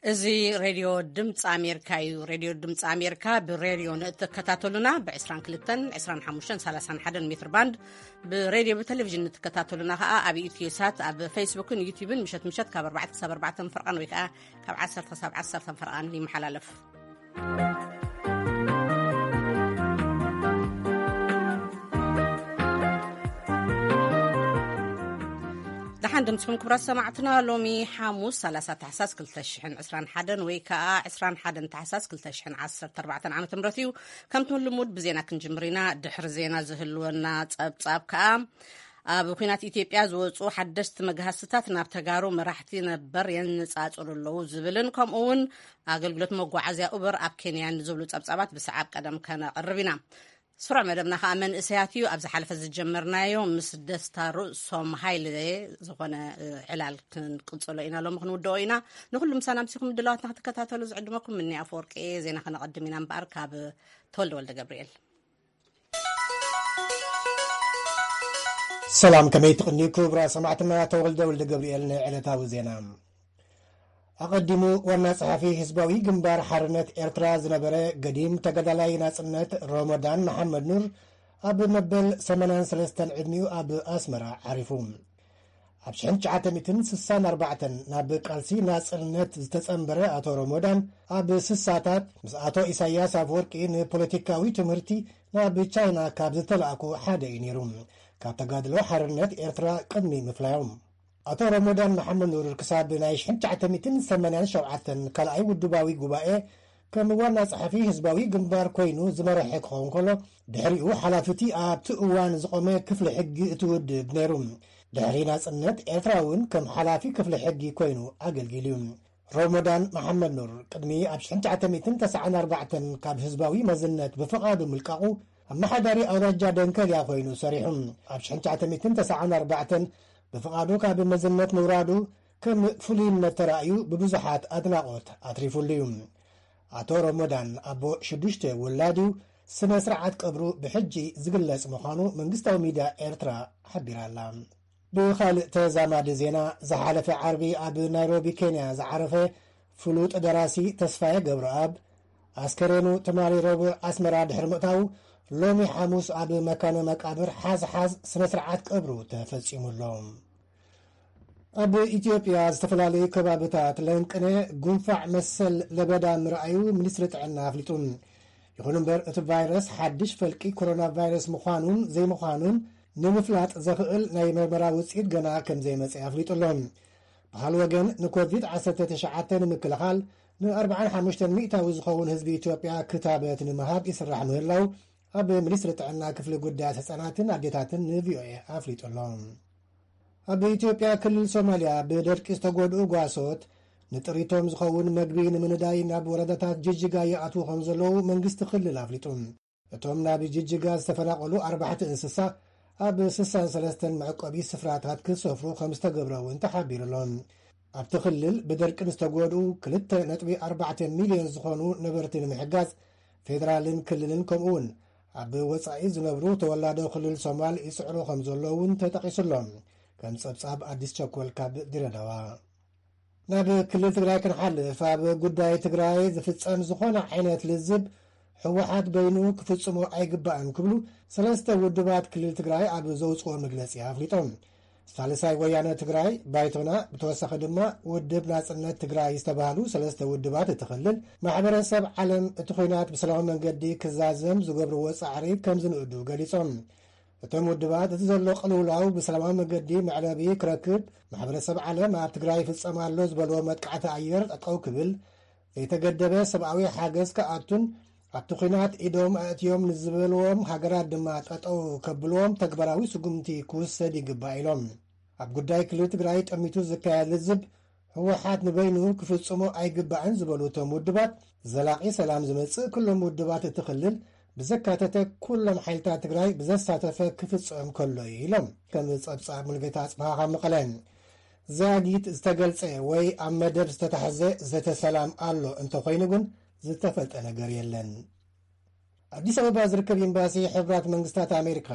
እዚ ሬድዮ ድምፂ ኣሜሪካ እዩ። ሬድዮ ድምፂ ኣሜሪካ ብሬድዮ ንእትከታተሉና ብ22፣ 25፣ 31 ሜትር ባንድ፣ ብሬድዮ ብቴሌቪዥን ንትከታተሉና ከዓ ኣብ ኢትዮ ሳት፣ ኣብ ፌስቡክን ዩቲዩብን ምሸት ምሸት ካብ ኣርባዕተ ክሳብ ኣርባዕተ ፈርቓን ወይ ከዓ ካብ ዓሰርተ ክሳብ ዓሰርተ ፈርቓን ይመሓላለፍ። ደሓን ድምፅኹም ክብራት ሰማዕትና። ሎሚ ሓሙስ ሰላሳ ታሕሳስ ክልተ ሽሕን ዕስራን ሓደን ወይ ከዓ ዕስራን ሓደን ታሕሳስ ክልተ ሽሕን ዓሰርተ ኣርባዕተን ዓመተ ምህረት እዩ። ከምቲ ልሙድ ብዜና ክንጅምር ኢና። ድሕሪ ዜና ዝህልወና ጸብጻብ ከዓ ኣብ ኲናት ኢትዮጵያ ዝወፁ ሓደሽቲ መግሃስታት ናብ ተጋሩ መራሕቲ ነበር የነጻጽሩ ኣለዉ ዝብልን ከምኡ እውን ኣገልግሎት መጓዓዝያ ኡበር ኣብ ኬንያ ንዝብሉ ጸብጻባት ብሰዓብ ቀደም ከነቕርብ ኢና። ስሩዕ መደብና ከዓ መንእሰያት እዩ። ኣብ ዝሓለፈ ዝጀመርናዮ ምስ ደስታ ርእሶም ሃይለ ዝኾነ ዕላል ክንቅጽሎ ኢና። ሎሚ ክንውድኦ ኢና። ንኩሉ ምሳና ምሲኩም ድላዋትና ክትከታተሉ ዝዕድመኩም ምኒ ኣፈወርቂ። ዜና ከነቐድም ኢና እምበኣር ካብ ተወልደ ወልደ ገብርኤል። ሰላም፣ ከመይ ትቕንዩ ክቡራ ሰማዕትና? ተወልደ ወልደ ገብርኤል ንዕለታዊ ዜና። ኣቐዲሙ ዋና ጸሓፊ ህዝባዊ ግንባር ሓርነት ኤርትራ ዝነበረ ገዲም ተጋዳላይ ናጽነት ሮሞዳን መሓመድ ኑር ኣብ መበል ሰማንያን ሰለስተን ዕድሚኡ ኣብ ኣስመራ ዓሪፉ። ኣብ ሽሕን ትሽዓተ ሚእትን ስሳን ኣርባዕተን ናብ ቃልሲ ናጽነት ዝተጸንበረ ኣቶ ሮሞዳን፣ ኣብ ስሳታት ምስ ኣቶ ኢሳያስ ኣፈወርቂ ንፖለቲካዊ ትምህርቲ ናብ ቻይና ካብ ዝተላእኩ ሓደ እዩ ነይሩ። ካብ ተጋድሎ ሓርነት ኤርትራ ቅድሚ ምፍላዮም፣ ኣቶ ሮሞዳን መሓመድ ኑር ክሳብ ናይ ሽሕን ትሽዓተ ሚእትን ሰማንያን ሸውዓተን ካልኣይ ውድባዊ ጉባኤ ከም ዋና ጸሓፊ ህዝባዊ ግንባር ኮይኑ ዝመረሐ ክኸውን ከሎ፣ ድሕሪኡ ሓላፊ እቲ ኣብቲ እዋን ዝቖመ ክፍሊ ሕጊ እቲ ውድብ ነይሩ። ድሕሪ ናጽነት ኤርትራ እውን ከም ሓላፊ ክፍሊ ሕጊ ኮይኑ ኣገልጊሉ እዩ። ሮሞዳን መሓመድ ኑር ቅድሚ ኣብ ሽሕን ትሽዓተ ሚእትን ተስዓን ኣርባዕተን ካብ ህዝባዊ መዝነት ብፍቓዱ ምልቃቑ፣ ኣመሓዳሪ ኣውራጃ ደንከልያ ኮይኑ ሰሪሑ። ኣብ ሽሕን ትሽዓተ ሚእትን ተስዓን ኣርባዕተን ብፍቓዱ ካብ መዝነት ምውራዱ ከም ፍሉይነት ተራእዩ ብብዙሓት ኣድናቖት ኣትሪፉሉ እዩ። ኣቶ ሮሞዳን ኣቦ ሽዱሽተ ውላድ እዩ። ስነ ስርዓት ቀብሩ ብሕጂ ዝግለጽ ምዃኑ መንግስታዊ ሚድያ ኤርትራ ሓቢራ ኣላ። ብኻልእ ተዛማዲ ዜና፣ ዝሓለፈ ዓርቢ ኣብ ናይሮቢ ኬንያ ዝዓረፈ ፍሉጥ ደራሲ ተስፋዬ ገብረኣብ፣ ኣስከሬኑ ትማሊ ረቡዕ ኣስመራ ድሕሪ ምእታዉ፣ ሎሚ ሓሙስ ኣብ መካነ መቃብር ሓዝሓዝ ስነ ስርዓት ቀብሩ ተፈጺሙ ኣሎ። ኣብ ኢትዮጵያ ዝተፈላለዩ ከባብታት ለንቅነ ጉንፋዕ መሰል ለበዳ ምርኣዩ ሚኒስትሪ ጥዕና ኣፍሊጡ። ይኹን እምበር፣ እቲ ቫይረስ ሓድሽ ፈልቂ ኮሮና ቫይረስ ምዃኑን ዘይምዃኑን ንምፍላጥ ዘኽእል ናይ መርመራ ውፅኢት ገና ከም ዘይመፀ ኣፍሊጡ ኣሎ። ብኻል ወገን፣ ንኮቪድ ዓሰርተ ትሽዓተ ንምክልኻል ን ኣርባዓን ሓሙሽተን ሚእታዊ ዝኸውን ህዝቢ ኢትዮጵያ ክታበት ንምሃብ ይስራሕ ምህላው ኣብ ሚኒስትሪ ጥዕና ክፍሊ ጉዳያት ህፃናትን ኣዴታትን ን ቪ ኦ ኤ ኣፍሊጡ ኣሎ። ኣብ ኢትዮጵያ ክልል ሶማልያ ብደርቂ ዝተጎድኡ ጓሶት ንጥሪቶም ዝኸውን መግቢ ንምንዳይ ናብ ወረዳታት ጅጅጋ ይኣትዉ ከም ዘለዉ መንግስቲ ክልል ኣፍሊጡ። እቶም ናብ ጅጅጋ ዝተፈናቐሉ ኣርባሕቲ እንስሳ ኣብ ስሳን ሰለስተን መዕቆቢ ስፍራታት ክሰፍሩ ከም ዝተገብረ እውን ተሓቢሩ ኣሎ። ኣብቲ ክልል ብደርቂ ንዝተጎድኡ ክልተ ነጥቢ ኣርባዕተ ሚልዮን ዝኾኑ ነበርቲ ንምሕጋዝ ፌደራልን ክልልን ከምኡ እውን ኣብ ወጻኢ ዝነብሩ ተወላዶ ክልል ሶማል ይጽዕሩ ከም ዘለዉ እውን ተጠቒሱ ኣሎ። ከም ጸብጻብ ኣዲስ ቸኮል ካብ ድሬዳዋ። ናብ ክልል ትግራይ ክንሓልፍ፣ ኣብ ጉዳይ ትግራይ ዝፍጸም ዝኾነ ዓይነት ልዝብ ህወሓት በይኑ ክፍጽሞ ኣይግባእን ክብሉ ሰለስተ ውድባት ክልል ትግራይ ኣብ ዘውፅኦ መግለጺ ኣፍሊጦም። ሳልሳይ ወያነ ትግራይ፣ ባይቶና፣ ብተወሳኺ ድማ ውድብ ናጽነት ትግራይ ዝተባህሉ ሰለስተ ውድባት እቲ ክልል፣ ማሕበረሰብ ዓለም እቲ ኲናት ብሰላማዊ መንገዲ ክዛዘም ዝገብርዎ ጻዕሪ ከም ዝንእዱ ገሊጾም። እቶም ውድባት እቲ ዘሎ ቅልውላው ብሰላማዊ መንገዲ መዕለቢ ክረክብ፣ ማሕበረሰብ ዓለም ኣብ ትግራይ ይፍጸም ኣሎ ዝበልዎ መጥቃዕቲ ኣየር ጠጠው ክብል፣ ዘይተገደበ ሰብኣዊ ሓገዝ ክኣቱን ኣብቲ ኲናት ኢዶም ኣእትዮም ንዝበልዎም ሃገራት ድማ ጠጠው ከብልዎም ተግባራዊ ስጉምቲ ክውሰድ ይግባእ ኢሎም። ኣብ ጉዳይ ክልል ትግራይ ጠሚቱ ዝካየድ ልዝብ ህወሓት ንበይኑ ክፍጽሞ ኣይግባእን ዝበሉ እቶም ውድባት፣ ዘላቒ ሰላም ዝመጽእ ኩሎም ውድባት እቲ ክልል ብዘካተተ ኩሎም ሓይልታት ትግራይ ብዘሳተፈ ክፍጸም ከሎ እዩ ኢሎም። ከም ጸብጻብ ሙሉጌታ ኣጽብሃ ካብ መቐለ። ዛጊት ዝተገልጸ ወይ ኣብ መደብ ዝተታሕዘ ዘተ ሰላም ኣሎ እንተኾይኑ ግን ዝተፈልጠ ነገር የለን። ኣዲስ ኣበባ ዝርከብ ኤምባሲ ሕብራት መንግስታት ኣሜሪካ፣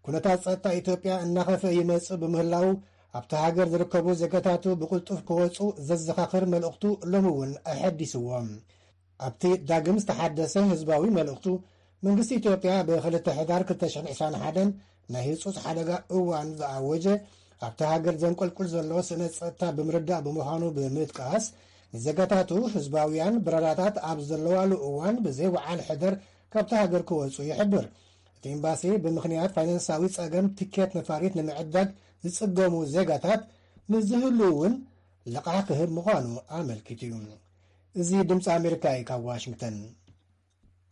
ኩነታት ጸጥታ ኢትዮጵያ እናኸፍአ ይመጽእ ብምህላው፣ ኣብቲ ሃገር ዝርከቡ ዜጋታቱ ብቕልጡፍ ክወጹ ዘዘኻኽር መልእኽቱ ሎሚ እውን ኣሐዲስዎም። ኣብቲ ዳግም ዝተሓደሰ ህዝባዊ መልእኽቱ፣ መንግስቲ ኢትዮጵያ ብ ክልተ ሕዳር ክልተ ሽሕን ዕስራን ሓደን ናይ ህጹጽ ሓደጋ እዋን ዝኣወጀ፣ ኣብቲ ሃገር ዘንቆልቁል ዘሎ ስእነት ጸጥታ ብምርዳእ ብምዃኑ ብምጥቃስ፣ ንዜጋታቱ ህዝባውያን በረራታት ኣብ ዘለዋሉ እዋን ብዘይ ወዓል ሕደር ካብቲ ሃገር ክወጹ ይሕብር። እቲ ኤምባሲ ብምኽንያት ፋይናንሳዊ ጸገም ትኬት ነፋሪት ንምዕዳግ ዝጽገሙ ዜጋታት ንዝህሉ እውን ልቓሕ ክህብ ምዃኑ ኣመልኪቱ እዩ። እዚ ድምፂ ኣሜሪካ እዩ ካብ ዋሽንግተን።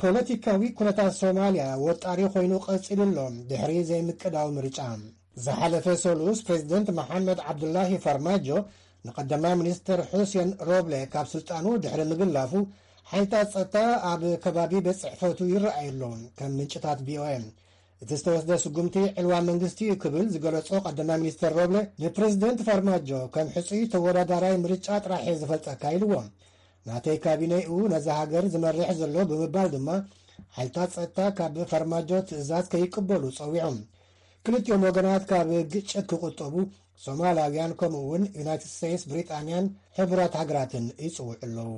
ፖለቲካዊ ኩነታት ሶማልያ ወጣሪ ኮይኑ ቀፂሉ ኣሎ። ድሕሪ ዘይምቅዳው ምርጫ፣ ዝሓለፈ ሰሉስ ፕሬዚደንት መሓመድ ዓብዱላሂ ፋርማጆ ንቀዳማይ ሚኒስትር ሑሴን ሮብለ ካብ ስልጣኑ ድሕሪ ምግላፉ፣ ሓይልታት ጸጥታ ኣብ ከባቢ ቤት ጽሕፈቱ ይረኣዩ ኣለዉ። ከም ምንጭታት ቪኦኤ፣ እቲ ዝተወስደ ስጉምቲ ዕልዋ መንግስቲ እዩ ክብል ዝገለጾ ቀዳማይ ሚኒስተር ሮብለ፣ ንፕሬዚደንት ፋርማጆ ከም ሕጹይ ተወዳዳራይ ምርጫ ጥራሕ እየ ዝፈልጠካ ኢልዎ። ናተይ ካቢነኡ ነዛ ሃገር ዝመርሕ ዘሎ ብምባል ድማ፣ ሓይልታት ጸጥታ ካብ ፋርማጆ ትእዛዝ ከይቅበሉ ጸዊዖም። ክልቲኦም ወገናት ካብ ግጭት ክቁጠቡ፣ ሶማላውያን ከምኡ እውን ዩናይትድ ስቴትስ፣ ብሪጣንያን ሕቡራት ሃገራትን ይጽውዑ ኣለዉ።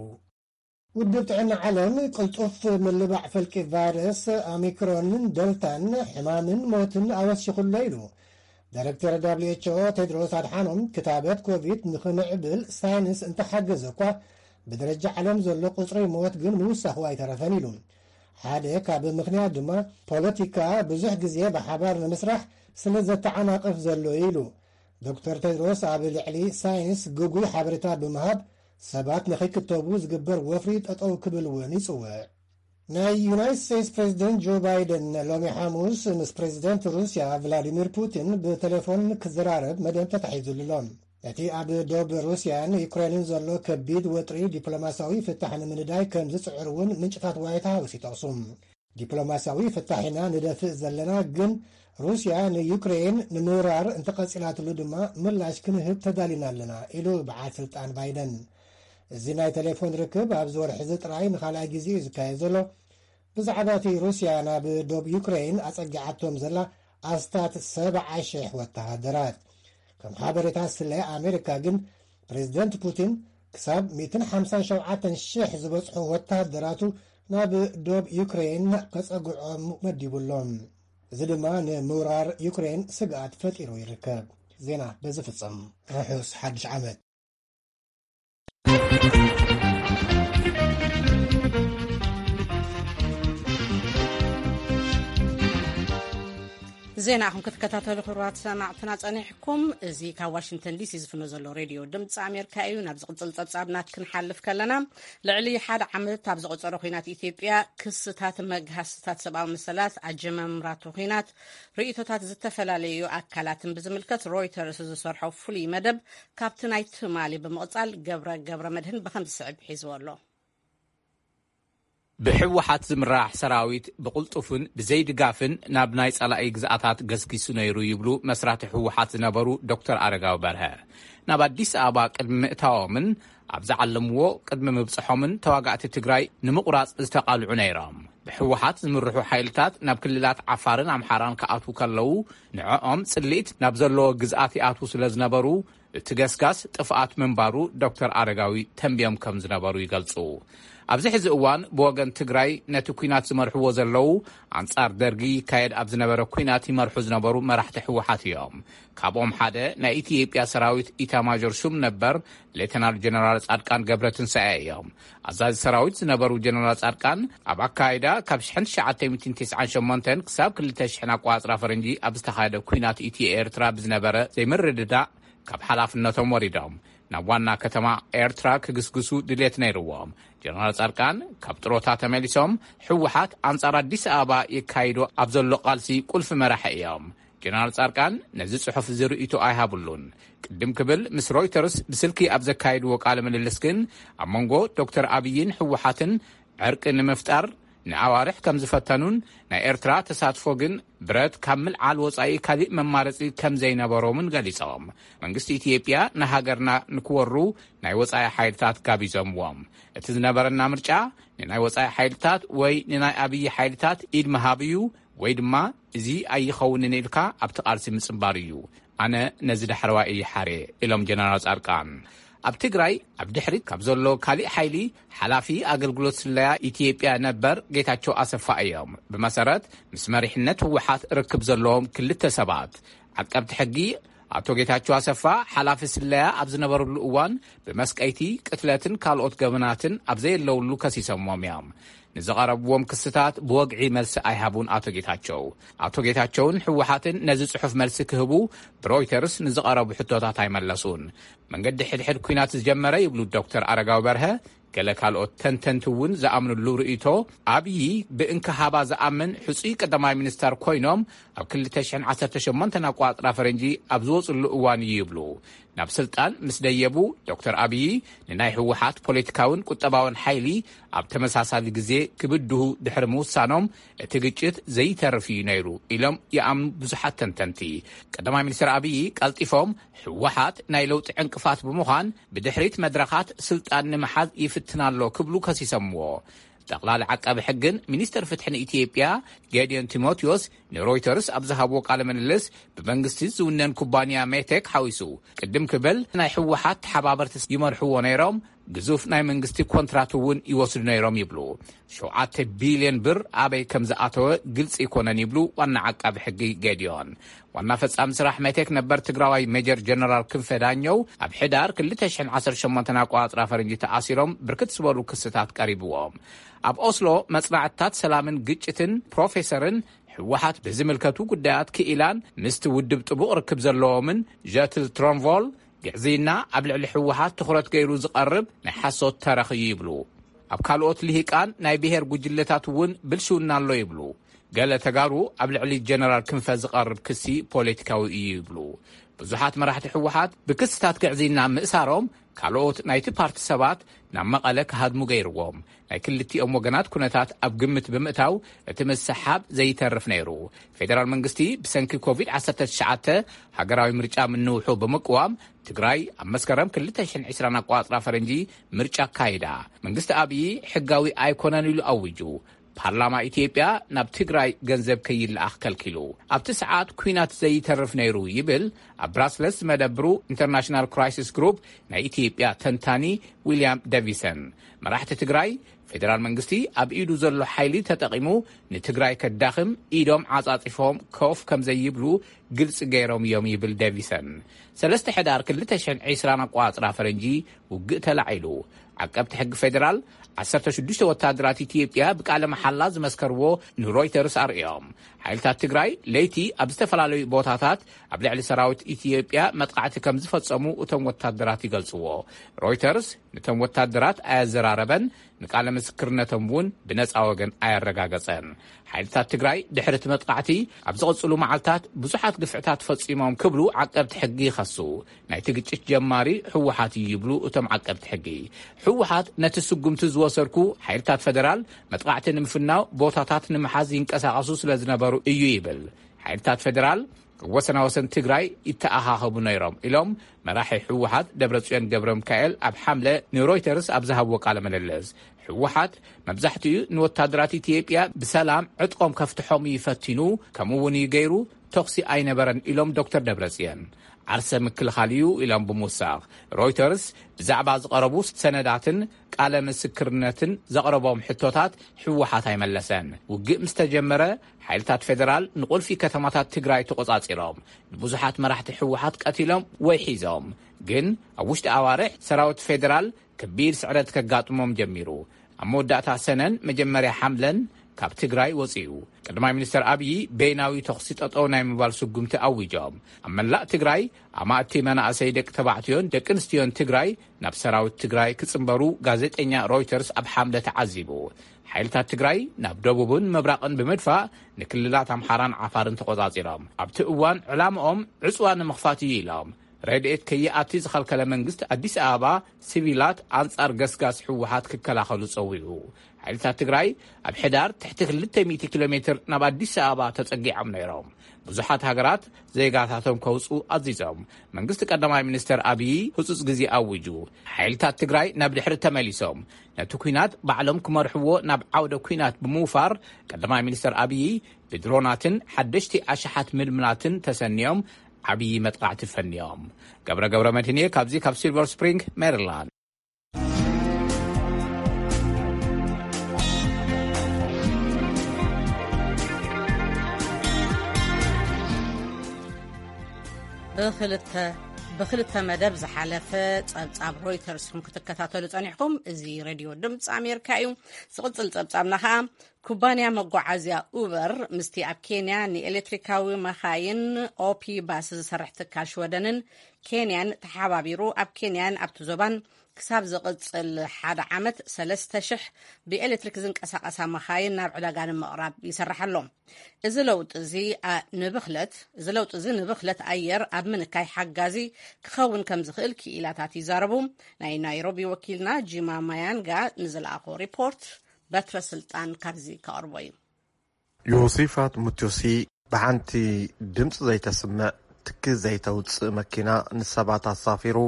ውድብ ጥዕና ዓለም ቅልጡፍ ምልባዕ ፍልቂ ቫይረስ ኦሚክሮንን ደልታን ሕማምን ሞትን ኣወሲኹ ኣሎ ኢሉ። ዳይሬክተር ደብሊው ኤች ኦ ቴድሮስ ኣድሓኖም፣ ክታበት ኮቪድ ንኽምዕብል ሳይንስ እንተሓገዘ እኳ፣ ብደረጃ ዓለም ዘሎ ቁጽሪ ሞት ግን ምውሳኹ ኣይተረፈን ኢሉ። ሓደ ካብ ምኽንያት ድማ፣ ፖለቲካ ብዙሕ ግዜ ብሓባር ንምስራሕ ስለ ዘተዓናቕፍ ዘሎ ኢሉ። ዶክተር ቴድሮስ ኣብ ልዕሊ ሳይንስ ግጉይ ሓበሬታ ብምሃብ፣ ሰባት ንኸይክተቡ ዝግበር ወፍሪ ጠጠው ክብል እውን ይጽውዕ። ናይ ዩናይትድ ስቴትስ ፕሬዚደንት ጆ ባይደን ሎሚ ሓሙስ ምስ ፕሬዚደንት ሩስያ ቭላዲሚር ፑቲን ብቴሌፎን ክዘራረብ መደብ ተታሒዙሉ ኣሎ። ነቲ ኣብ ዶብ ሩስያን ዩክሬንን ዘሎ ከቢድ ወጥሪ ዲፕሎማሲያዊ ፍታሕ ንምንዳይ ከም ዝጽዕር እውን ምንጭታት ዋይት ሃውስ ይጠቕሱ። ዲፕሎማሲያዊ ፍታሕ ኢና ንደፍእ ዘለና፣ ግን ሩስያ ንዩክሬን ንምውራር እንተቐጺላትሉ ድማ ምላሽ ክንህብ ተዳሊና ኣለና ኢሉ በዓል ስልጣን ባይደን። እዚ ናይ ቴሌፎን ርክብ ኣብዚ ወርሒ እዚ ጥራይ ንኻልኣይ ግዜ እዩ ዝካየድ ዘሎ። ብዛዕባ እቲ ሩስያ ናብ ዶብ ዩክሬን ኣጸጊዓቶም ዘላ ኣስታት ሰብዓ ሽሕ ወተሃደራት። ከም ሓበሬታ ስለያ ኣሜሪካ ግን፣ ፕሬዚደንት ፑቲን ክሳብ ሚእትን ሓምሳን ሸውዓተን ሽሕ ዝበጽሑ ወተሃደራቱ ናብ ዶብ ዩክሬን ከጸግዖም መዲቡ ኣሎ። እዚ ድማ ንምውራር ዩክሬን ስግኣት ፈጢሩ ይርከብ። ዜና በዚ ፍጸም። ርሑስ ሓድሽ ዓመት። ዜና ኢኹም ክትከታተሉ ክቡራት ሰማዕትና ጸኒሕኩም። እዚ ካብ ዋሽንግተን ዲሲ ዝፍኖ ዘሎ ሬድዮ ድምፂ ኣሜሪካ እዩ። ናብ ዝቕጽል ጸብጻብና ክንሓልፍ ከለና፣ ልዕሊ ሓደ ዓመት ኣብ ዘቑጸረ ኲናት ኢትዮጵያ፣ ክስታት መግሃስታት ሰብኣዊ መሰላት፣ ኣጀማምራቱ ኲናት፣ ርእይቶታት ዝተፈላለዩ ኣካላትን ብዝምልከት ሮይተርስ ዝሰርሖ ፍሉይ መደብ ካብቲ ናይ ትማሊ ብምቕጻል ገብረ ገብረ መድህን ብኸም ዝስዕብ ሒዝዎ ኣሎ። ብህወሓት ዝምራሕ ሰራዊት ብቕልጡፍን ብዘይድጋፍን ናብ ናይ ጸላኢ ግዝኣታት ገስጊሱ ነይሩ ይብሉ መስራቲ ህወሓት ዝነበሩ ዶክተር ኣረጋዊ በርሀ። ናብ ኣዲስ ኣበባ ቅድሚ ምእታዎምን ኣብ ዝዓለምዎ ቅድሚ ምብጽሖምን ተዋጋእቲ ትግራይ ንምቑራጽ ዝተቓልዑ ነይሮም። ብህወሓት ዝምርሑ ሓይልታት ናብ ክልላት ዓፋርን ኣምሓራን ክኣትዉ ከለዉ፣ ንዕኦም ጽልኢት ናብ ዘለዎ ግዝኣት ይኣትዉ ስለ ዝነበሩ፣ እቲ ገስጋስ ጥፍኣት ምንባሩ ዶክተር ኣረጋዊ ተንብዮም ከም ዝነበሩ ይገልጹ። ኣብዚ ሕዚ እዋን ብወገን ትግራይ ነቲ ኲናት ዝመርሕዎ ዘለዉ፣ ኣንጻር ደርጊ ይካየድ ኣብ ዝነበረ ኲናት ይመርሑ ዝነበሩ መራሕቲ ህወሓት እዮም። ካብኦም ሓደ ናይ ኢትዮጵያ ሰራዊት ኢታማዦር ሹም ነበር ሌተናል ጀነራል ጻድቃን ገብረትንሳኤ እዮም። ኣዛዚ ሰራዊት ዝነበሩ ጀነራል ጻድቃን፣ ኣብ ኣካይዳ ካብ ሽሕን ትሽዓተ ሚእትን ተስዓን ሸሞንተን ክሳብ ክልተ ሽሕን ኣቆጻጽራ ፈረንጂ ኣብ ዝተኻየደ ኲናት ኢትዮ ኤርትራ ብዝነበረ ዘይምርድዳእ ካብ ሓላፍነቶም ወሪዶም ናብ ዋና ከተማ ኤርትራ ክግስግሱ ድሌት ነይርዎም። ጀነራል ጻድቃን ካብ ጥሮታ ተመሊሶም፣ ህወሓት ኣንጻር ኣዲስ ኣበባ የካይዶ ኣብ ዘሎ ቃልሲ ቁልፊ መራሒ እዮም። ጀነራል ጻድቃን ነዚ ጽሑፍ እዚ ርእይቶ ኣይሃብሉን። ቅድም ክብል ምስ ሮይተርስ ብስልኪ ኣብ ዘካየድዎ ቃለ ምልልስ ግን፣ ኣብ መንጎ ዶክተር ኣብይን ህወሓትን ዕርቂ ንምፍጣር ንኣዋርሕ ከም ዝፈተኑን ናይ ኤርትራ ተሳትፎ ግን ብረት ካብ ምልዓል ወጻኢ ካሊእ መማረጺ ከም ዘይነበሮምን ገሊጾም። መንግስቲ ኢትዮጵያ ንሃገርና ንክወሩ ናይ ወጻኢ ሓይልታት ጋቢዞምዎም። እቲ ዝነበረና ምርጫ ንናይ ወጻኢ ሓይልታት ወይ ንናይ ኣብዪ ሓይልታት ኢድ ምሃብ እዩ፣ ወይ ድማ እዚ ኣይኸውንን ኢልካ ኣብቲ ቃልሲ ምጽንባር እዩ። ኣነ ነዚ ዳሕረዋይ እየ ሓርየ፣ ኢሎም ጀነራል ጻድቃን። ኣብ ትግራይ ኣብ ድሕሪት ካብ ዘሎ ካሊእ ሓይሊ ሓላፊ ኣገልግሎት ስለያ ኢትዮጵያ ነበር ጌታቸው ኣሰፋ እዮም። ብመሰረት ምስ መሪሕነት ህወሓት ርክብ ዘለዎም ክልተ ሰባት፣ ዓቀብቲ ሕጊ ኣቶ ጌታቸው ኣሰፋ ሓላፊ ስለያ ኣብ ዝነበርሉ እዋን ብመስቀይቲ፣ ቅትለትን ካልኦት ገበናትን ኣብ ዘየለውሉ ከሲሶምዎም እዮም። ንዝቐረብዎም ክስታት ብወግዒ መልሲ ኣይሃቡን ኣቶ ጌታቸው። ኣቶ ጌታቸውን ህወሓትን ነዚ ጽሑፍ መልሲ ክህቡ ብሮይተርስ ንዝቐረቡ ሕቶታት ኣይመለሱን። መንገዲ ሕድሕድ ኲናት ዝጀመረ ይብሉ ዶክተር ኣረጋዊ በርሀ፣ ገለ ካልኦት ተንተንቲ እውን ዝኣምንሉ ርእይቶ፣ ኣብዪ ብእንክሃባ ዝኣምን ሕጹይ ቀዳማይ ሚኒስተር ኮይኖም ኣብ ክልተ ሽሕን ዓሰርተ ሸሞንተን ኣቋጽራ ፈረንጂ ኣብ ዝወጽሉ እዋን እዩ ይብሉ። ናብ ስልጣን ምስ ደየቡ ዶክተር ኣብዪ ንናይ ህወሓት ፖለቲካውን ቁጠባውን ሓይሊ ኣብ ተመሳሳሊ ግዜ ክብድሁ ድሕሪ ምውሳኖም እቲ ግጭት ዘይተርፍ እዩ ነይሩ ኢሎም ይኣምኑ ብዙሓት ተንተንቲ። ቀዳማይ ሚኒስተር ኣብዪ ቀልጢፎም ህወሓት ናይ ለውጢ ዕንቅፋት ብምዃን ብድሕሪት መድረኻት ስልጣን ንምሓዝ ይፍትን ኣሎ ክብሉ ከሲሰምዎ። ጠቕላሊ ዓቃቢ ሕግን ሚኒስተር ፍትሕን ኢትዮጵያ ጌድዮን ቲሞቴዎስ ንሮይተርስ ኣብ ዝሃብዎ ቃለ ምልልስ፣ ብመንግስቲ ዝውነን ኩባንያ ሜቴክ ሓዊሱ ቅድም ክብል ናይ ህወሓት ተሓባበርቲ ይመርሕዎ ነይሮም፣ ግዙፍ ናይ መንግስቲ ኮንትራት እውን ይወስዱ ነይሮም ይብሉ። ሸውዓተ ቢልዮን ብር ኣበይ ከም ዝኣተወ ግልፂ ኣይኮነን ይብሉ ዋና ዓቃቢ ሕጊ ጌድዮን። ዋና ፈጻሚ ስራሕ ሜቴክ ነበር ትግራዋይ ሜጀር ጀነራል ክንፈ ዳኘው ኣብ ሕዳር ክልተ ሽሕን ዓሰርተ ሸሞንተን ኣቋጽራ ፈረንጂ ተኣሲሮም ብርክት ዝበሉ ክስታት ቀሪብዎም። ኣብ ኦስሎ መጽናዕትታት ሰላምን ግጭትን ፕሮፌሰርን ህወሓት ብዝምልከቱ ጉዳያት ክኢላን ምስቲ ውድብ ጥቡቕ ርክብ ዘለዎምን ጀትል ትሮንቮል፣ ግዕዝይና ኣብ ልዕሊ ህወሓት ትኹረት ገይሩ ዝቐርብ ናይ ሓሶት ተረኽ እዩ ይብሉ። ኣብ ካልኦት ልሂቃን ናይ ብሄር ጉጅለታት እውን ብልሽውና ኣሎ ይብሉ። ገለ ተጋሩ ኣብ ልዕሊ ጀነራል ክንፈ ዝቐርብ ክሲ ፖለቲካዊ እዩ ይብሉ። ብዙሓት መራሕቲ ህወሓት ብክስታት ግዕዝይና ምእሳሮም ካልኦት ናይቲ ፓርቲ ሰባት ናብ መቐለ ክሃድሙ ገይርዎም። ናይ ክልቲኦም ወገናት ኩነታት ኣብ ግምት ብምእታው እቲ ምስሓብ ዘይተርፍ ነይሩ። ፌደራል መንግስቲ ብሰንኪ ኮቪድ ዓሰርተ ትሽዓተ ሃገራዊ ምርጫ ምንውሑ ብምቅዋም ትግራይ ኣብ መስከረም ክልተ ሽሕን ዕስራን ኣቋጽራ ፈረንጂ ምርጫ ኣካይዳ። መንግስቲ ኣብዪ ሕጋዊ ኣይኮነን ኢሉ ኣዊጁ። ፓርላማ ኢትዮጵያ ናብ ትግራይ ገንዘብ ከይለኣኽ ከልኪሉ። ኣብቲ ሰዓት ኲናት ዘይተርፍ ነይሩ ይብል ኣብ ብራስለስ መደብሩ ኢንተርናሽናል ክራይሲስ ግሩፕ ናይ ኢትዮጵያ ተንታኒ ዊልያም ደቪሰን። መራሕቲ ትግራይ ፌደራል መንግስቲ ኣብ ኢዱ ዘሎ ሓይሊ ተጠቒሙ ንትግራይ ከዳኽም ኢዶም ዓጻጺፎም ኮፍ ከም ዘይብሉ ግልጺ ገይሮም እዮም ይብል ደቪሰን። ሰለስተ ሕዳር ክልተ ሽሕን ዕስራን ኣቋጽራ ፈረንጂ ውግእ ተላዒሉ። ዓቀብቲ ሕጊ ፌደራል ዓሰርተ ሽዱሽተ ወታደራት ኢትዮጵያ ብቃለ መሓላ ዝመስከርዎ ንሮይተርስ ኣርእዮም። ሓይልታት ትግራይ ለይቲ ኣብ ዝተፈላለዩ ቦታታት ኣብ ልዕሊ ሰራዊት ኢትዮጵያ መጥቃዕቲ ከም ዝፈጸሙ እቶም ወታደራት ይገልጽዎ። ሮይተርስ ነቶም ወታደራት ኣየዘራረበን ንቃለ ምስክርነቶም እውን ብነጻ ወገን ኣየረጋገጸን። ሓይልታት ትግራይ ድሕሪ እቲ መጥቃዕቲ ኣብ ዝቕጽሉ መዓልታት ብዙሓት ግፍዕታት ፈጺሞም ክብሉ ዓቀብቲ ሕጊ ይኸሱ። ናይቲ ግጭት ጀማሪ ህወሓት እዩ ይብሉ እቶም ዓቀብቲ ሕጊ። ህወሓት ነቲ ስጉምቲ ዝወሰድኩ ሓይልታት ፈደራል መጥቃዕቲ ንምፍናው ቦታታት ንምሓዝ ይንቀሳቐሱ ስለ ዝነበሩ እዩ ይብል። ሓይልታት ፈደራል ወሰናወሰን ትግራይ ይተኣኻኸቡ ነይሮም ኢሎም መራሒ ህወሓት ደብረጽዮን ገብረ ሚካኤል ኣብ ሓምለ ንሮይተርስ ኣብ ዝሃብዎ ቃለ ምልልስ። ህወሓት መብዛሕትኡ ንወታደራት ኢትዮጵያ ብሰላም ዕጥቆም ከፍትሖም እዩ ፈቲኑ፣ ከምኡ እውን እዩ ገይሩ፣ ተኹሲ ኣይነበረን ኢሎም ዶክተር ደብረጽዮን። ዓርሰ ምክልኻል እዩ ኢሎም ብምውሳኽ። ሮይተርስ ብዛዕባ ዝቐረቡ ሰነዳትን ቃለ ምስክርነትን ዘቕረቦም ሕቶታት ህወሓት ኣይመለሰን። ውግእ ምስ ተጀመረ ሓይልታት ፌደራል ንቁልፊ ከተማታት ትግራይ ተቖጻጺሮም ንብዙሓት መራሕቲ ህወሓት ቀቲሎም ወይ ሒዞም። ግን ኣብ ውሽጢ ኣዋርሕ ሰራዊት ፌደራል ከቢድ ስዕረት ከጋጥሞም ጀሚሩ። ኣብ መወዳእታ ሰነን መጀመርያ ሓምለን ካብ ትግራይ ወጺኡ። ቀዳማይ ሚኒስተር ኣብዪ በይናዊ ተኹሲ ጠጠው ናይ ምባል ስጉምቲ ኣዊጆም። ኣብ መላእ ትግራይ ኣማእቲ መናእሰይ ደቂ ተባዕትዮን ደቂ ኣንስትዮን ትግራይ ናብ ሰራዊት ትግራይ ክጽንበሩ ጋዜጠኛ ሮይተርስ ኣብ ሓምለ ተዓዚቡ። ሓይልታት ትግራይ ናብ ደቡብን ምብራቕን ብምድፋእ ንክልላት ኣምሓራን ዓፋርን ተቖጻጺሮም። ኣብቲ እዋን ዕላምኦም ዕጽዋ ንምኽፋት እዩ ኢሎም። ረድኤት ከይኣቲ ዝኸልከለ መንግስቲ ኣዲስ ኣበባ፣ ሲቪላት ኣንጻር ገስጋስ ህወሓት ክከላኸሉ ጸዊዑ። ሓይልታት ትግራይ ኣብ ሕዳር ትሕቲ ክልተ ሚእቲ ኪሎ ሜትር ናብ ኣዲስ ኣበባ ተጸጊዖም ነይሮም። ብዙሓት ሃገራት ዜጋታቶም ከውጹ ኣዚዞም። መንግስቲ ቀዳማይ ሚኒስተር ኣብዪ ህጹጽ ግዜ ኣዊጁ። ሓይልታት ትግራይ ናብ ድሕሪት ተመሊሶም። ነቲ ኲናት ባዕሎም ክመርሕዎ ናብ ዓውደ ኲናት ብምውፋር፣ ቀዳማይ ሚኒስተር ኣብዪ ብድሮናትን ሓደሽቲ ኣሽሓት ምልምላትን ተሰንዮም ዓብዪ መጥቃዕቲ ፈንዮም። ገብረ ገብረ መድህን እየ፣ ካብዚ ካብ ሲልቨር ስፕሪንግ ሜሪላንድ። ብክልተ ብክልተ መደብ ዝሓለፈ ጸብጻብ ሮይተርስ ኢኹም ክትከታተሉ ጸኒሕኩም። እዚ ሬድዮ ድምፂ ኣሜሪካ እዩ። ዝቕጽል ጸብጻብና ኸኣ፣ ኩባንያ መጓዓዝያ ኡበር ምስቲ ኣብ ኬንያ ንኤሌክትሪካዊ መኻይን ኦፒ ባስ ዝሰርሕ ትካል ሽወደንን ኬንያን ተሓባቢሩ ኣብ ኬንያን ኣብቲ ዞባን ክሳብ ዝቕጽል ሓደ ዓመት ሰለስተ ሽሕ ብኤሌክትሪክ ዝንቀሳቐሳ መኻይን ናብ ዕዳጋ ንምቕራብ ይሰርሕ ኣሎ። እዚ ለውጢ እዚ፣ ኣ፣ ንብኽለት፣ እዚ ለውጢ እዚ ንብኽለት ኣየር ኣብ ምንካይ ሓጋዚ ክኸውን ከም ዝኽእል ክኢላታት ይዛረቡ። ናይ ናይሮቢ ወኪልና ጂማ ማያንጋ ንዝለኣኾ ሪፖርት በትረ ስልጣን ካብዚ ከቕርቦ እዩ። ዮሲፋት ሙቱሲ ብሓንቲ ድምፂ ዘይተስምዕ ትኪ ዘይተውፅእ መኪና ንሰባት ኣሳፊሩ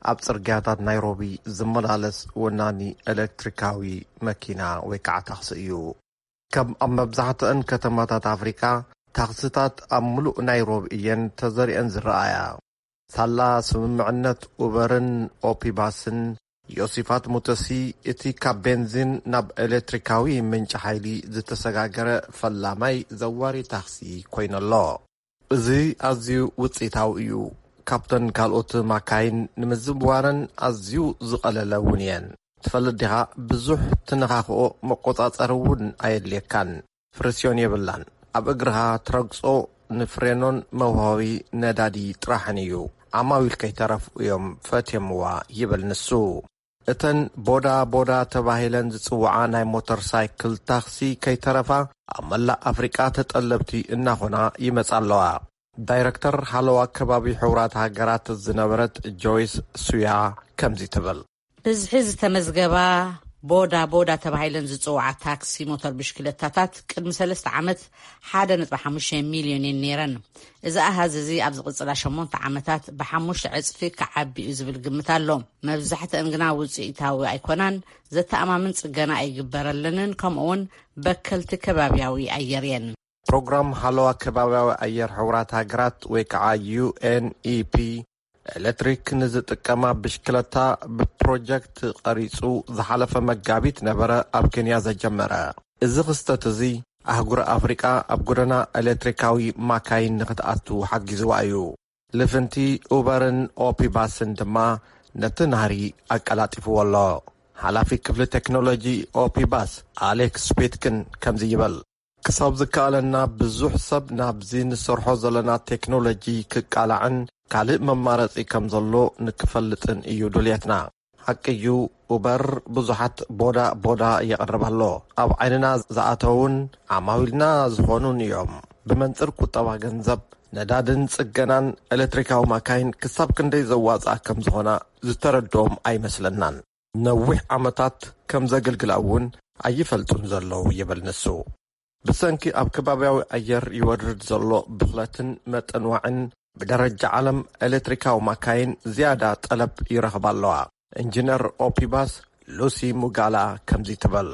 ኣብ ጽርግያታት ናይሮቢ ዝመላለስ ወናኒ ኤሌክትሪካዊ መኪና ወይ ከዓ ታክሲ እዩ። ከም ኣብ መብዛሕትአን ከተማታት ኣፍሪቃ፣ ታክስታት ኣብ ምሉእ ናይሮቢ እየን ተዘሪአን ዝረኣያ። ሳላ ስምምዕነት ኡበርን ኦፒባስን፣ ዮሲፋት ሙተሲ እቲ ካብ ቤንዚን ናብ ኤሌክትሪካዊ ምንጪ ሓይሊ ዝተሰጋገረ ፈላማይ ዘዋሪ ታክሲ ኮይነሎ። እዚ ኣዝዩ ውጽኢታዊ እዩ። ካብተን ካልኦት ማካይን ንምዝውዋረን ኣዝዩ ዝቐለለ እውን እየን። ትፈልጥ ዲኻ፣ ብዙሕ ትነኻኽኦ መቆጻጸሪ እውን ኣየድልየካን። ፍሪስዮን የብላን። ኣብ እግርኻ ትረግጾ ንፍሬኖን መውሃቢ ነዳዲ ጥራሕን እዩ። ዓማዊል ከይተረፉ እዮም ፈትየምዋ፣ ይብል ንሱ። እተን ቦዳ ቦዳ ተባሂለን ዝጽውዓ ናይ ሞተር ሳይክል ታክሲ ከይተረፋ ኣብ መላእ ኣፍሪቃ ተጠለብቲ እናኾና ይመጻ ኣለዋ። ዳይረክተር ሓለዋ ከባቢ ሕቡራት ሃገራት ዝነበረት ጆይስ ሱያ ከምዚ ትብል። ብዝሒ ዝተመዝገባ ቦዳ ቦዳ ተባሂለን ዝጽውዓ ታክሲ ሞተር ብሽክለታታት ቅድሚ ሰለስተ ዓመት ሓደ ነጥቢ ሓሙሽተ ሚልዮን እየን ነይረን። እዚ ኣሃዝ እዚ ኣብ ዝቕጽላ ሸሞንተ ዓመታት ብሓሙሽተ ዕጽፊ ክዓቢ እዩ ዝብል ግምት ኣሎ። መብዛሕትአን ግና ውጽኢታዊ ኣይኮናን፣ ዘተኣማምን ጽገና ኣይግበረለንን፣ ከምኡውን በከልቲ ከባብያዊ ኣየር እየን። ፕሮግራም ሃለዋ ከባብያዊ ኣየር ሕቡራት ሃገራት ወይ ከዓ ዩ ኤን ኢ ፒ፣ ኤሌክትሪክ ንዝጥቀማ ብሽክለታ ብፕሮጀክት ቀሪጹ ዝሓለፈ መጋቢት ነበረ ኣብ ኬንያ ዘጀመረ። እዚ ክስተት እዚ ኣህጉር ኣፍሪቃ ኣብ ጎደና ኤሌክትሪካዊ ማካይን ንክትኣቱ ሓጊዝዋ እዩ። ልፍንቲ ኡበርን ኦፒባስን ድማ ነቲ ናህሪ ኣቀላጢፍዎ ኣሎ። ሓላፊ ክፍሊ ቴክኖሎጂ ኦፒባስ ኣሌክስ ፒትክን ከምዚ ይብል። ክሳብ ዝከኣለና ብዙሕ ሰብ ናብዚ ንሰርሖ ዘለና ቴክኖሎጂ ክቃላዕን ካልእ መማረጺ ከም ዘሎ ንክፈልጥን እዩ ድልየትና። ሓቂ እዩ፣ ኡበር ብዙሓት ቦዳ ቦዳ የቕርብ ኣሎ። ኣብ ዓይንና ዝኣተውን ዓማዊልና ዝኾኑን እዮም። ብመንጽር ቁጠባ ገንዘብ፣ ነዳድን ጽገናን ኤሌክትሪካዊ ማካይን ክሳብ ክንደይ ዘዋጽኣ ከም ዝኾና ዝተረድኦም ኣይመስለናን። ነዊሕ ዓመታት ከም ዘገልግላ እውን ኣይፈልጡን ዘለዉ፣ ይብል ንሱ። ብሰንኪ ኣብ ከባብያዊ ኣየር ይወርድ ዘሎ ብኽለትን መጠን ዋዕን ብደረጃ ዓለም ኤሌክትሪካዊ ማካይን ዝያዳ ጠለብ ይረኽባ ኣለዋ። ኢንጂነር ኦፒባስ ሉሲ ሙጋላ ከምዚ ትብል።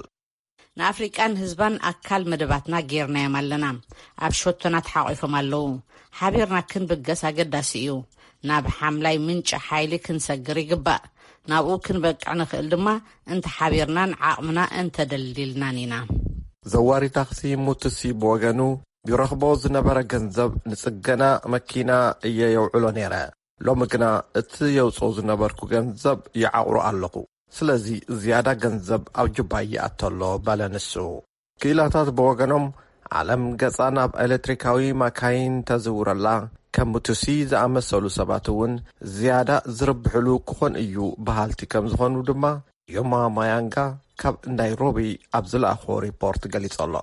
ንኣፍሪቃን ህዝባን ኣካል መደባትና ጌርናዮም ኣለና። ኣብ ሸቶና ተሓቒፎም ኣለዉ። ሓቢርና ክንብገስ ኣገዳሲ እዩ። ናብ ሓምላይ ምንጪ ሓይሊ ክንሰግር ይግባእ። ናብኡ ክንበቅዕ ንኽእል ድማ እንተሓቢርናን ዓቕምና እንተደልዲልናን ኢና። ዘዋሪ ታክሲ ሙትሲ ብወገኑ፣ ይረኽቦ ዝነበረ ገንዘብ ንጽገና መኪና እየ የውዕሎ ነይረ። ሎሚ ግና እቲ የውጽኦ ዝነበርኩ ገንዘብ ይዓቑሮ ኣለኹ። ስለዚ ዝያዳ ገንዘብ ኣብ ጁባይ ይኣቶ ኣሎ፣ በለ ንሱ። ክኢላታት ብወገኖም፣ ዓለም ገጻ ናብ ኤሌክትሪካዊ ማካይን ተዝውረላ፣ ከም ሙቱሲ ዝኣመሰሉ ሰባት እውን ዝያዳ ዝርብሕሉ ክኾን እዩ በሃልቲ ከም ዝኾኑ ድማ ዮማ ማያንጋ ካብ ናይሮቢ ኣብ ዝለኣኾ ሪፖርት ገሊጹ ኣሎ።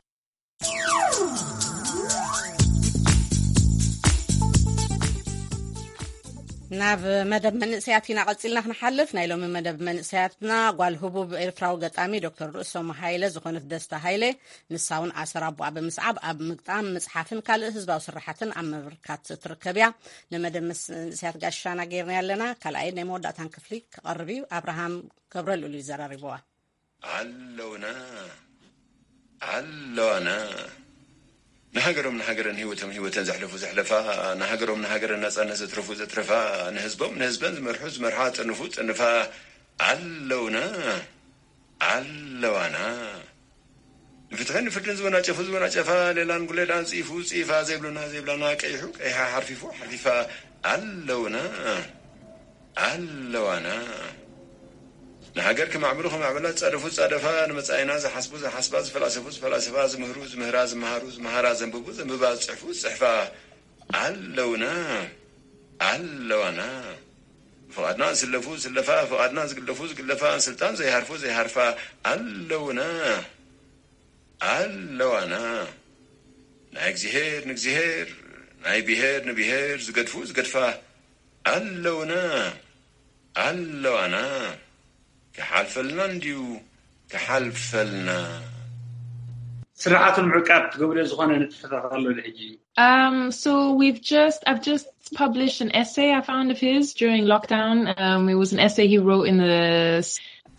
ናብ መደብ መንእሰያት ኢና ቀጺልና ክንሓልፍ። ናይ ሎሚ መደብ መንእሰያትና ጓል ህቡብ ኤርትራዊ ገጣሚ ዶክተር ርእሶም ሃይለ ዝኾነት ደስታ ሃይለ፣ ንሳ እውን ኣሰር ኣቦኣ ብምስዓብ ኣብ ምግጣም፣ ምጽሓፍን ካልእ ህዝባዊ ስራሓትን ኣብ ምብርካት ትርከብ እያ። ንመደብ መንእሰያት ጋሻና ጌርና ኣለና። ካልኣይ ናይ መወዳእታን ክፍሊ ክቐርብ እዩ። ኣብርሃም ገብረልኡል እዩ ዘራሪብዋ። ኣለውና፣ ኣለዋና። ንሃገሮም ንሃገረን ህይወቶም ህይወተን ዘሕለፉ ዘሕለፋ፣ ንሃገሮም ንሃገረን ናጻነት ዘትረፉ ዘትረፋ፣ ንህዝቦም ንህዝበን ዝመርሑ ዝመርሓ፣ ጽንፉ ጽንፋ፣ ኣለውና፣ ኣለዋና። ንፍትሕን ንፍርድን ዝወናጨፉ ዝወናጨፋ፣ ሌላን ጉሌላን ጽይፉ ጽይፋ፣ ዘይብሉና ዘይብላና፣ ቀይሑ ቀይሓ፣ ሓርፊፉ ሓርፊፋ፣ ኣለውና፣ ኣለዋና። ንሃገር ክማዕብሉ ክማዕብላ ዝጻደፉ ዝጻደፋ፣ ንመጻኢና ዝሓስቡ ዝሓስባ፣ ዝፈላሰፉ ዝፈላሰፋ፣ ዝምህሩ ዝምህራ፣ ዝመሃሩ ዝመሃራ፣ ዘንብቡ ዘንብባ፣ ዝጽሕፉ ዝጽሕፋ፣ ኣለውና፣ ኣለዋና። ፍቓድና ዝስለፉ ዝስለፋ፣ ፍቓድና ዝግለፉ ዝግለፋ፣ ስልጣን ዘይሃርፉ ዘይሃርፋ፣ ኣለውና፣ ኣለዋና። ናይ እግዚኣብሔር ንእግዚኣብሔር፣ ናይ ብሔር ንብሔር ዝገድፉ ዝገድፋ፣ ኣለውና፣ ኣለዋና። ክሓልፈልና እንድዩ፣ ክሓልፈልና። ስርዓቱ ንምዕቃብ ትገብርዮ ዝኾነ ንጥፈታት ኣሎ ዶ ሕጂ? Um, so we've just, I've just published an essay I found of his during lockdown. Um, it was an essay he wrote in the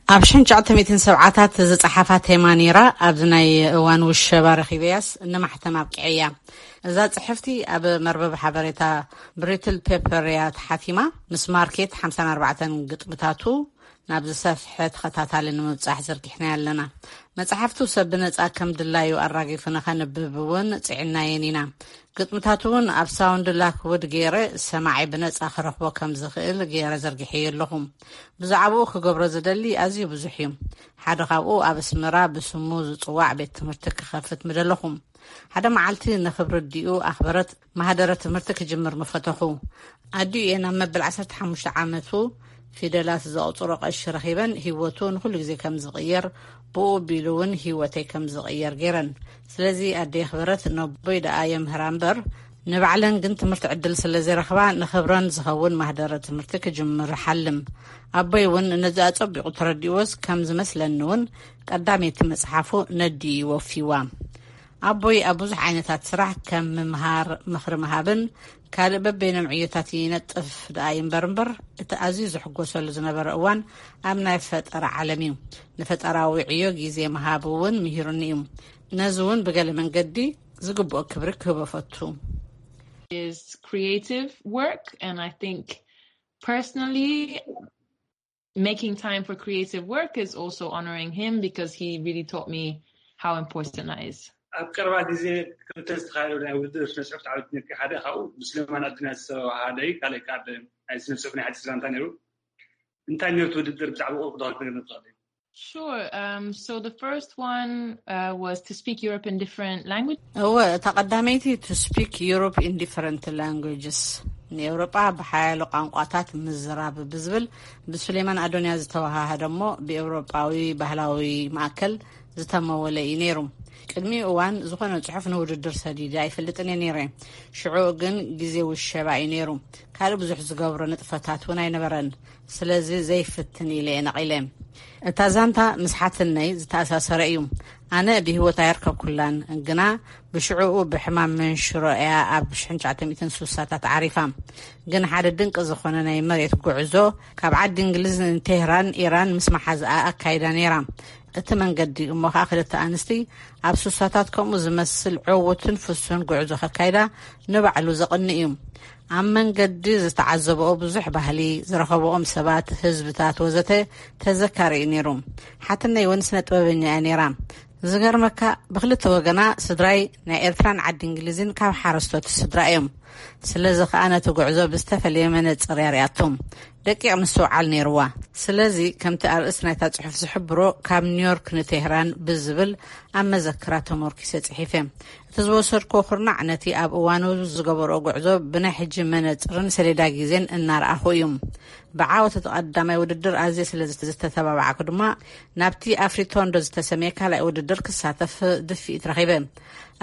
ኣብ ሽሕን ትሽዓተ ሚእትን ሰብዓታት ዝጸሓፋ ቴማ ነይራ። ኣብዚ ናይ እዋን ውሸባ ረኺበያስ ንማሕተም ኣብቂዐያ። እዛ ጽሕፍቲ ኣብ መርበብ ሓበሬታ ብሪትል ፔፐር እያ ተሓቲማ። ምስ ማርኬት ሓምሳን ኣርባዕተን ግጥምታቱ ናብ ዝሰፍሐ ተኸታታሊ ንምብጻሕ ዘርጊሕናያ ኣለና። መጽሓፍቱ ሰብ ብነጻ ከም ድላዩ ኣራጊፉ ንኸንብብ እውን ጽዒናየን ኢና። ግጥምታቱ እውን ኣብ ሳውንድ ላክውድ ገይረ ሰማዒ ብነጻ ክረኽቦ ከም ዝኽእል ገይረ ዘርጊሐዮ ኣለኹ። ብዛዕባኡ ክገብሮ ዝደሊ ኣዝዩ ብዙሕ እዩ። ሓደ ካብኡ ኣብ ኣስመራ ብስሙ ዝጽዋዕ ቤት ትምህርቲ ክኸፍት ምደለኹ። ሓደ መዓልቲ ንኽብሪ ኣዲኡ ኣኽበረት ማህደረ ትምህርቲ ክጅምር ምፈተኹ። ኣዲኡ እየን ኣብ መበል ዓሰርተ ሓሙሽተ ዓመቱ ፊደላት ዘቑጽሮ ቀሺ ረኺበን ህይወቱ ንኹሉ ግዜ ከም ዝቕየር፣ ብኡ ኣቢሉ እውን ህይወተይ ከም ዝቕየር ገይረን። ስለዚ ኣደይ ኣኽበረት ነቦይ ደኣ የምህራ እምበር ንባዕለን ግን ትምህርቲ ዕድል ስለ ዘይረኽባ ንኽብረን ዝኸውን ማህደረ ትምህርቲ ክጅምር ሓልም። ኣቦይ እውን ነዚ ኣጸቢቑ ተረዲእዎስ ከም ዝመስለኒ እውን ቀዳመይቲ መጽሓፉ ነዲኡ ወፊዋ። ኣቦይ ኣብ ብዙሕ ዓይነታት ስራሕ ከም ምምሃር፣ ምኽሪ ምሃብን ካልእ በበይኖም ዕዮታት ይነጥፍ ደኣ ይንበር እምበር፣ እቲ ኣዝዩ ዝሕጎሰሉ ዝነበረ እዋን ኣብ ናይ ፈጠራ ዓለም እዩ። ንፈጠራዊ ዕዮ ግዜ ምሃብ እውን ምሂሩኒ እዩ። ነዚ እውን ብገለ መንገዲ ዝግብኦ ክብሪ ክህቦ ፈቱ። Is creative work, and I think personally, making time for creative work is also honoring him because he really taught me how important that is. ኣብ ቀረባ ግዜ ክልተ ዝተኻየዱ ናይ ውድድር ስነ ጽሑፍ ተዓወቲ ነርኪ። ሓደ ካብኡ ብስሌማን ኣዱንያ ዝተዋሃደ እዩ። ካልኣይ ከዓ ናይ ስነ ጽሑፍ ናይ ሓጺር ዛንታ ነይሩ። እንታይ ነርቱ ውድድር ብዛዕባ ቁልቁ ዳል ነገር ነብዛለ? Sure. Um, so the first one uh, was to speak Europe in different languages. እወ፣ እታ ቀዳመይቲ to speak Europe in different languages፣ ንኤውሮጳ ብሓያሎ ቋንቋታት ምዝራብ ብዝብል ብሱሌማን ኣዶንያ ዝተወሃሃደ እሞ ብኤውሮጳዊ ባህላዊ ማእከል ዝተመወለ እዩ ነይሩ። ቅድሚኡ እዋን ዝኾነ ጽሑፍ ንውድድር ሰዲደ ኣይፈልጥን እየ ነይረ። ሽዑ ግን ግዜ ውሸባ እዩ ነይሩ። ካልእ ብዙሕ ዝገብሮ ንጥፈታት እውን ኣይነበረን። ስለዚ ዘይፍትን ኢለ እየ ነቒለ። እታ ዛንታ ምስ ሓትነይ ዝተኣሳሰረ እዩ። ኣነ ብህይወት ኣየርከብኩላን፣ ግና ብሽዕኡ ብሕማም መንሽሮ እያ ኣብ ሽሕን ትሽዓተ ሚእትን ስሳታት ዓሪፋ። ግን ሓደ ድንቂ ዝኾነ ናይ መሬት ጉዕዞ ካብ ዓዲ እንግሊዝ ንቴህራን ኢራን ምስ መሓዝኣ ኣካይዳ ነይራ። እቲ መንገዲ እሞ ኸኣ ክልተ ኣንስቲ ኣብ ስሳታት ከምኡ ዝመስል ዕዉትን ፍሱን ጉዕዞ ከካይዳ ንባዕሉ ዘቕንእ እዩ። ኣብ መንገዲ ዝተዓዘበኦ ብዙሕ ባህሊ፣ ዝረኸበኦም ሰባት፣ ህዝብታት ወዘተ ተዘካሪ እዩ ነይሩ። ሓትነይ እውን ስነ ጥበበኛ እያ ነይራ። ዝገርመካ ብክልተ ወገና ስድራይ ናይ ኤርትራን ዓዲ እንግሊዝን ካብ ሓረስቶት ስድራ እዮም። ስለዚ ከኣ ነቲ ጉዕዞ ብዝተፈለየ መነጽር እያ ሪኣቶ። ደቂቕ ምስትውዓል ነይርዋ። ስለዚ ከምቲ ኣርእስቲ ናይታ ጽሑፍ ዝሕብሮ ካብ ኒውዮርክ ንቴህራን ብዝብል ኣብ መዘክራ ተመርኪሰ ጽሒፈ። እቲ ዝወሰድክዎ ኩርናዕ ነቲ ኣብ እዋኑ ዝገበርኦ ጉዕዞ ብናይ ሕጂ መነጽርን ሰሌዳ ግዜን እናረኣኹ እዩ። ብዓወት እቲ ቀዳማይ ውድድር ኣዝየ ስለ ዝተተባባዕኩ ድማ ናብቲ ኣፍሪቶንዶ ዝተሰምየ ካልኣይ ውድድር ክሳተፍ ድፍኢት ረኺበ።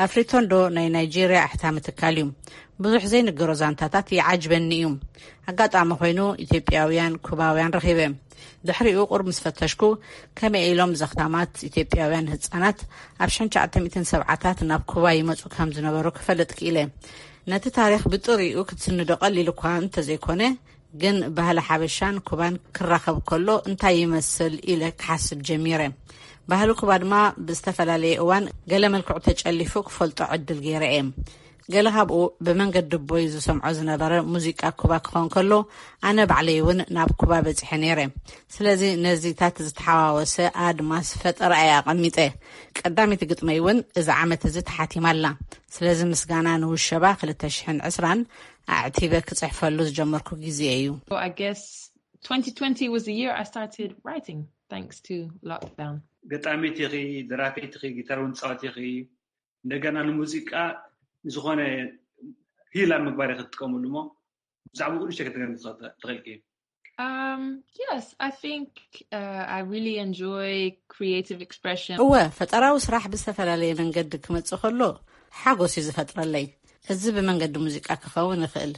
ኣፍሪቶንዶ ናይ ናይጄርያ ኣሕታሚ ትካል እዩ። ብዙሕ ዘይንገሮ ዛንታታት ይዓጅበኒ እዩ። ኣጋጣሚ ኮይኑ ኢትዮጵያውያን ኩባውያን ረኺበ። ድሕሪኡ ቁርብ ምስ ፈተሽኩ፣ ከመይ ኢሎም ዘኽታማት ኢትዮጵያውያን ህጻናት ኣብ ሽሕን ትሽዓተ ሚእትን ሰብዓታት ናብ ኩባ ይመጹ ከም ዝነበሩ ክፈልጥ ክኢለ። ነቲ ታሪኽ ብጥሪኡ ክትስንዶ ቀሊል እኳ እንተዘይኮነ፣ ግን ባህሊ ሓበሻን ኩባን ክራኸብ ከሎ እንታይ ይመስል ኢለ ክሓስብ ጀሚረ። ባህሊ ኩባ ድማ ብዝተፈላለየ እዋን ገለ መልክዑ ተጨሊፉ ክፈልጦ ዕድል ገይረ እየ። ገለ ካብኡ ብመንገዲ ቦይ ዝሰምዖ ዝነበረ ሙዚቃ ኩባ ክኸውን ከሎ፣ ኣነ ባዕለይ እውን ናብ ኩባ በጺሐ ነይረ። ስለዚ ነዚታት ዝተሓዋወሰ ኣድማስ ፈጠራ እየ ኣቐሚጠ። ቀዳመይቲ ግጥመይ እውን እዚ ዓመት እዚ ተሓቲማ ኣላ። ስለዚ ምስጋና ንውሸባ ክልተ ሽሕን ዕስራን ኣዕቲበ ክጽሕፈሉ ዝጀመርኩ ግዜ እዩ። So I guess twenty twenty was the year I started writing, thanks to lockdown. ገጣሚት ኢኺ፣ ደራፊት ኢኺ፣ ጊታር እውን ትጻወት ኢኺ። እንደገና ንሙዚቃ ዝኾነ ሂል ኣብ ምግባር ኢኺ ትጥቀመሉ እሞ ብዛዕባ ንእሽተይ ክትነግረኒ ትኽእል- ትኽእልኪ? Um, yes, I think uh, I really enjoy creative expression. እወ፣ ፈጠራዊ ስራሕ ብዝተፈላለየ መንገዲ ክመጽእ ከሎ ሓጎስ እዩ ዝፈጥረለይ። እዚ ብመንገዲ ሙዚቃ ክኸውን ይኽእል።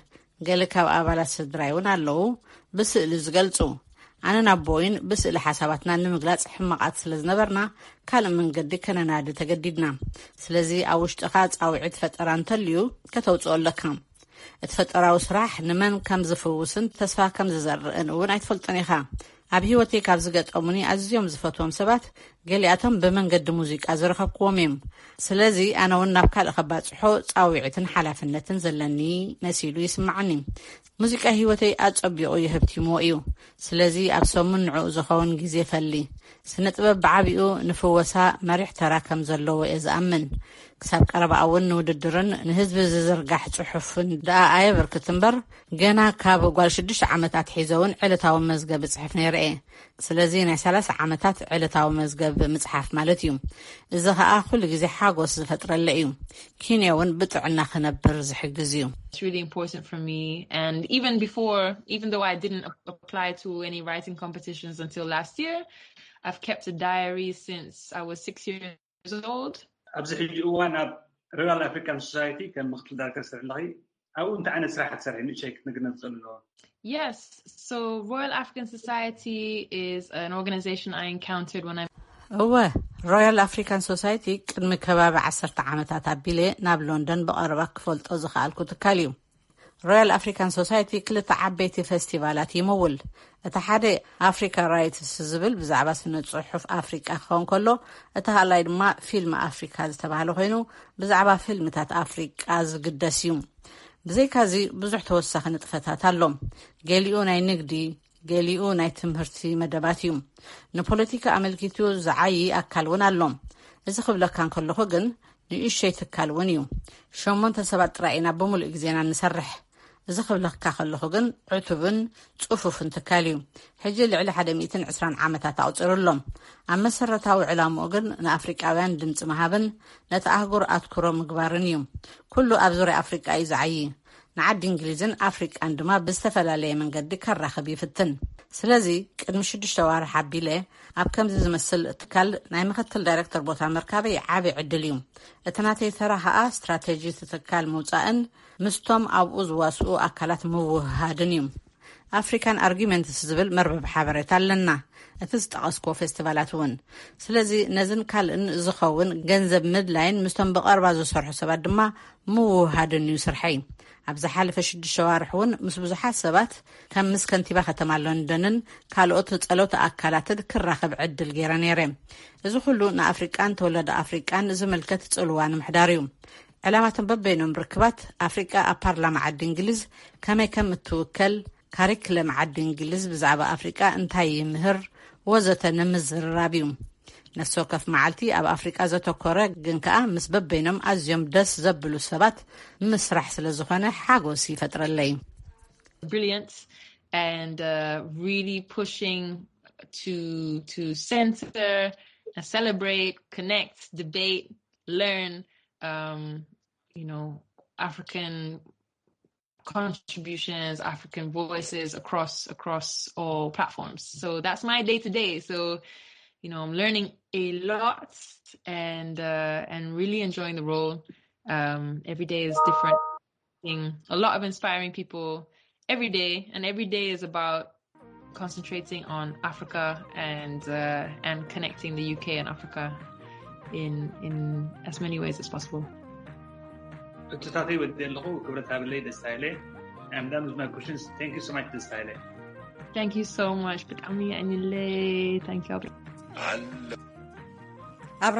ገለ ካብ ኣባላት ስድራይ እውን ኣለዉ ብስእሊ ዝገልጹ። ኣነን ኣቦይን ብስእሊ ሓሳባትና ንምግላጽ ሕማቓት ስለ ዝነበርና፣ ካልእ መንገዲ ከነናዲ ተገዲድና። ስለዚ ኣብ ውሽጥኻ ጻውዒት ፈጠራ እንተልዩ ከተውጽኦ ኣለካ። እቲ ፈጠራዊ ስራሕ ንመን ከም ዝፍውስን ተስፋ ከም ዝዘርእን እውን ኣይትፈልጦን ኢኻ። ኣብ ህይወተይ ካብ ዝገጠሙኒ ኣዝዮም ዝፈትዎም ሰባት ገሊኣቶም ብመንገዲ ሙዚቃ ዝረኸብክዎም እዮም። ስለዚ ኣነ እውን ናብ ካልእ ከባጽሖ ጻውዒትን ሓላፍነትን ዘለኒ መሲሉ ይስምዓኒ። ሙዚቃ ህይወተይ ኣጸቢቑ የህብቲምዎ እዩ። ስለዚ ኣብ ሰሙን ንዕኡ ዝኸውን ግዜ ፈሊ። ስነ ጥበብ ብዓቢኡ ንፍወሳ መሪሕ ተራ ከም ዘለዎ እየ ዝኣምን። ክሳብ ቀረባ እውን ንውድድርን ንህዝቢ ዝዝርጋሕ ጽሑፍን ደኣ ኣየበርክት እምበር፣ ገና ካብ ጓል ሽዱሽተ ዓመት ኣትሒዘ እውን ዕለታዊ መዝገብ እጽሕፍ ነይረ እየ። ስለዚ ናይ ሰላሳ ዓመታት ዕለታዊ መዝገብ ምጽሓፍ ማለት እዩ። እዚ ኸኣ ኩሉ ግዜ ሓጎስ ዝፈጥረለ እዩ። ኪንዮ እውን ብጥዕና ክነብር ዝሕግዝ እዩ። It's really important for me. And even before, even though I didn't ap- apply to any writing competitions until last year, I've kept a diary since I was six years old. ኣብዚ ሕጂ እዋን ኣብ ሮያል ኣፍሪካን ሶሳይቲ ከም ምክትል ዳይሬክተር ስራሕ ኣለኺ። ኣብኡ እንታይ ዓይነት ስራሕ ትሰርሒ ንእሽተይ ክትነግርና ትኽእል ኣለዎ? Yes, so Royal African Society is an organization I encountered when I እወ፣ ሮያል ኣፍሪካን ሶሳይቲ ቅድሚ ከባቢ ዓሰርተ ዓመታት ኣቢለ ናብ ሎንደን ብቐረባ ክፈልጦ ዝኸኣልኩ ትካል እዩ። ሮያል ኣፍሪካን ሶሳይቲ ክልተ ዓበይቲ ፈስቲቫላት ይምውል። እቲ ሓደ ኣፍሪካ ራይትስ ዝብል ብዛዕባ ስነ ጽሑፍ ኣፍሪቃ ክኸውን ከሎ፣ እቲ ካልኣይ ድማ ፊልም ኣፍሪካ ዝተባህለ ኮይኑ ብዛዕባ ፊልምታት ኣፍሪቃ ዝግደስ እዩ። ብዘይካዚ ብዙሕ ተወሳኺ ንጥፈታት ኣሎ። ገሊኡ ናይ ንግዲ፣ ገሊኡ ናይ ትምህርቲ መደባት እዩ። ንፖለቲካ ኣመልኪቱ ዝዓዪ ኣካል እውን ኣሎ። እዚ ክብለካ እንከለኹ ግን ንእሽተይ ትካል እውን እዩ። ሸሞንተ ሰባት ጥራይ ኢና ብምሉእ ግዜና ንሰርሕ። እዚ ክብለካ ከለኹ ግን ዕቱብን ጽፉፍን ትካል እዩ። ሕጂ ልዕሊ ሓደ ሚእትን ዕስራን ዓመታት ኣቑጺሩ ኣሎ። ኣብ መሰረታዊ ዕላምኡ ግን ንኣፍሪቃውያን ድምፂ ምሃብን ነቲ ኣህጉር ኣትኩሮ ምግባርን እዩ። ኩሉ ኣብ ዙርያ ኣፍሪቃ እዩ ዝዓዪ። ንዓዲ እንግሊዝን ኣፍሪቃን ድማ ብዝተፈላለየ መንገዲ ከራኽብ ይፍትን። ስለዚ ቅድሚ ሽዱሽተ ዋርሕ ኣቢለ ኣብ ከምዚ ዝመስል ትካል ናይ ምክትል ዳይሬክተር ቦታ ምርካበይ ዓቢ ዕድል እዩ። እቲ ናተይ ተራ ኸኣ ስትራቴጂ እቲ ትካል ምውጻእን ምስቶም ኣብኡ ዝዋስኡ ኣካላት ምውህሃድን እዩ። ኣፍሪካን ኣርጊመንትስ ዝብል መርበብ ሓበሬታ ኣለና፣ እቲ ዝጠቐስክዎ ፌስቲቫላት እውን። ስለዚ ነዝን ካልእን ዝኸውን ገንዘብ ምድላይን ምስቶም ብቐርባ ዝሰርሑ ሰባት ድማ ምውህሃድን እዩ ስርሐይ። ኣብ ዝሓለፈ ሽዱሽተ ዋርሕ እውን ምስ ብዙሓት ሰባት ከም ምስ ከንቲባ ከተማ ሎንደንን ካልኦት ጸለውቲ ኣካላትን ክራኸብ ዕድል ገይረ ነይረ። እዚ ኩሉ ንኣፍሪቃን ተወለዶ ኣፍሪቃን ዝምልከት ጽልዋ ንምሕዳር እዩ። ዕላማቶም በበይኖም ርክባት ኣፍሪቃ ኣብ ፓርላማ ዓዲ እንግሊዝ ከመይ ከም እትውከል፣ ካሪክለም ዓዲ እንግሊዝ ብዛዕባ ኣፍሪቃ እንታይ ይምህር ወዘተ ንምዝርራብ እዩ። ነፍሲ ወከፍ መዓልቲ ኣብ ኣፍሪቃ ዘተኮረ ግን ከኣ ምስ በበይኖም ኣዝዮም ደስ ዘብሉ ሰባት ምስራሕ ስለ ዝኾነ ሓጎስ ይፈጥረለይ። Brilliant and uh, really pushing to to center and celebrate, connect, debate, learn, um, you know, African contributions, African voices across across all platforms. So that's my day to day. So you know, I'm learning a lot and uh, and really enjoying the role. Um, every day is different. Seeing a lot of inspiring people every day, and every day is about concentrating on Africa and uh, and connecting the U K and Africa in in as many ways as possible. ሕቶታተይ ወዲ ኣለኹ። ክብረት ሃብለይ ደስታ ኢለ። I'm done with my questions. Thank you so much ደስታ ኢለ። Thank you so much. ብጣዕሚ የዕንለይ። Thank you. ኣለኹ